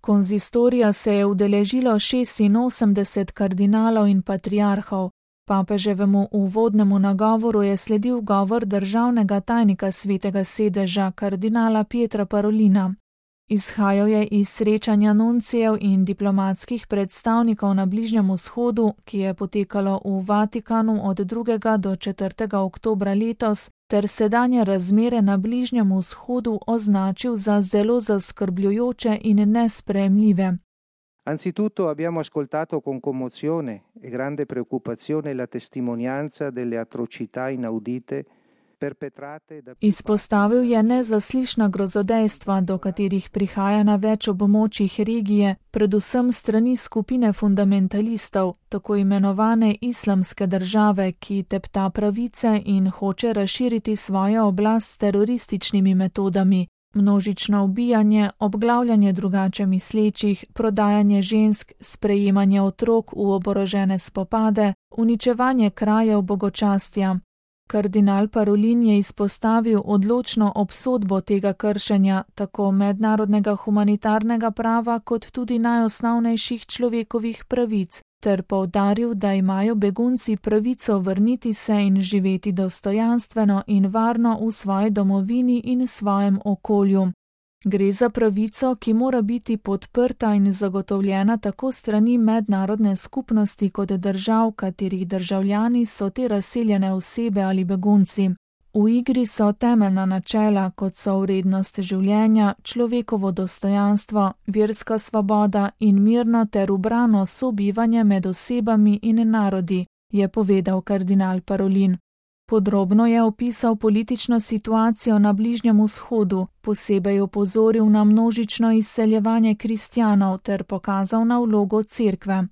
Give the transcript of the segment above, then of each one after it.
Konzistorija se je udeležilo 86 kardinalov in patriarhov. Papeževemu uvodnemu nagovoru je sledil govor državnega tajnika Svetega sedeža, kardinala Pietra Parolina. Izhajal je iz srečanja nuncijev in diplomatskih predstavnikov na Bližnjem vzhodu, ki je potekalo v Vatikanu od 2. do 4. oktobra letos, ter sedanje razmere na Bližnjem vzhodu označil za zelo zaskrbljujoče in nesprejemljive. Anzitutto abbiamo ascoltato con commozione e grande preoccupazione la testimonianza delle atrocità inaudite perpetrate da... Izpostavil je nezaslišna grozodejstva, do katerih prihaja na več območjih regije, predvsem strani skupine fundamentalistov, tako imenovane islamske države, ki tepta pravice in hoče razširiti svojo oblast s terorističnimi metodami. Množično ubijanje, obglavljanje drugače mislečih, prodajanje žensk, sprejemanje otrok v oborožene spopade, uničevanje krajev bogočastja. Kardinal Parolin je izpostavil odločno obsodbo tega kršenja, tako mednarodnega humanitarnega prava kot tudi najosnovnejših človekovih pravic, ter poudaril, da imajo begunci pravico vrniti se in živeti dostojanstveno in varno v svoji domovini in svojem okolju. Gre za pravico, ki mora biti podprta in zagotovljena tako strani mednarodne skupnosti kot držav, katerih državljani so te razseljene osebe ali begunci. V igri so temeljna načela, kot so vrednost življenja, človekovo dostojanstvo, verska svoboda in mirno ter ubrano sobivanje med osebami in narodi, je povedal kardinal Parolin. Podrobno je opisal politično situacijo na Bližnjem vzhodu, posebej opozoril na množično izseljevanje kristjanov ter pokazal na vlogo cerkve.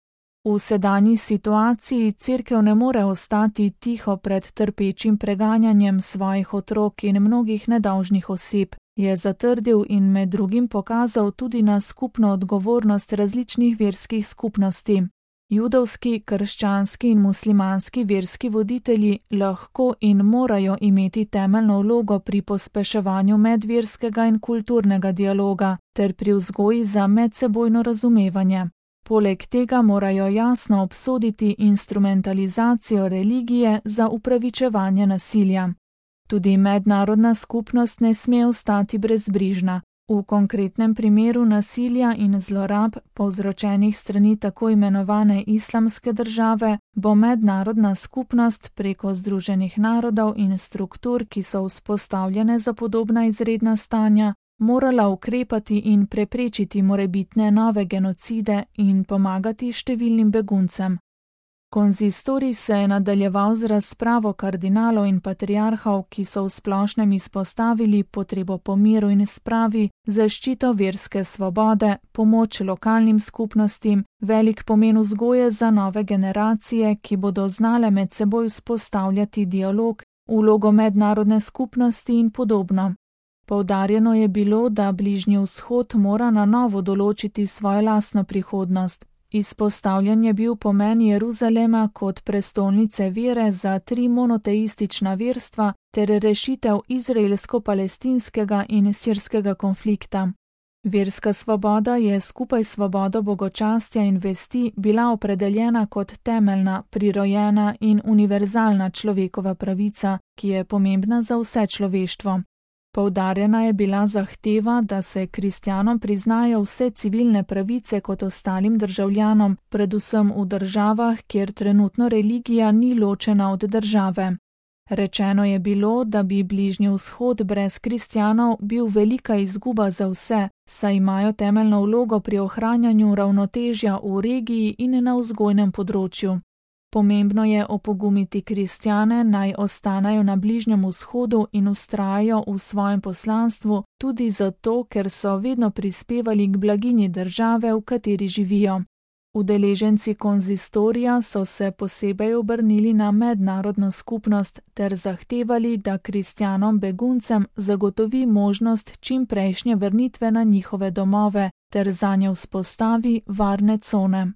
V sedanji situaciji cerkev ne more ostati tiho pred trpečim preganjanjem svojih otrok in mnogih nedolžnih oseb, je zatrdil in med drugim pokazal tudi na skupno odgovornost različnih verskih skupnosti. Judovski, krščanski in muslimanski verski voditelji lahko in morajo imeti temeljno vlogo pri pospeševanju medverskega in kulturnega dialoga ter pri vzgoji za medsebojno razumevanje. Poleg tega morajo jasno obsoditi instrumentalizacijo religije za upravičevanje nasilja. Tudi mednarodna skupnost ne sme ostati brezbrižna. V konkretnem primeru nasilja in zlorab, povzročenih strani tako imenovane islamske države, bo mednarodna skupnost preko Združenih narodov in struktur, ki so vzpostavljene za podobna izredna stanja, morala ukrepati in preprečiti morebitne nove genocide in pomagati številnim beguncem. Konzistorij se je nadaljeval z razpravo kardinalov in patriarhov, ki so v splošnem izpostavili potrebo po miru in spravi, zaščito verske svobode, pomoč lokalnim skupnostim, velik pomen vzgoje za nove generacije, ki bodo znale med seboj vzpostavljati dialog, vlogo mednarodne skupnosti in podobno. Poudarjeno je bilo, da Bližnji vzhod mora na novo določiti svojo lastno prihodnost. Izpostavljen je bil pomen Jeruzalema kot prestolnice vere za 3 monoteistična verstva ter rešitev izraelsko-palestinskega in sirskega konflikta. Verska svoboda je skupaj s svobodo bogočastja in vesti bila opredeljena kot temeljna, prirojena in univerzalna človekova pravica, ki je pomembna za vse človeštvo. Poudarjena je bila zahteva, da se kristjanom priznajo vse civilne pravice kot ostalim državljanom, predvsem v državah, kjer trenutno religija ni ločena od države. Rečeno je bilo, da bi Bližnji vzhod brez kristjanov bil velika izguba za vse, saj imajo temeljno vlogo pri ohranjanju ravnotežja v regiji in na vzgojnem področju. Pomembno je opogumiti kristjane, naj ostanejo na Bližnjem vzhodu in vztrajajo v svojem poslanstvu, tudi zato, ker so vedno prispevali k blaginji države, v kateri živijo. Udeleženci konzistorija so se posebej obrnili na mednarodno skupnost ter zahtevali, da kristjanom beguncem zagotovi možnost čimprejšnje vrnitve na njihove domove ter zanje vzpostavi varne cone.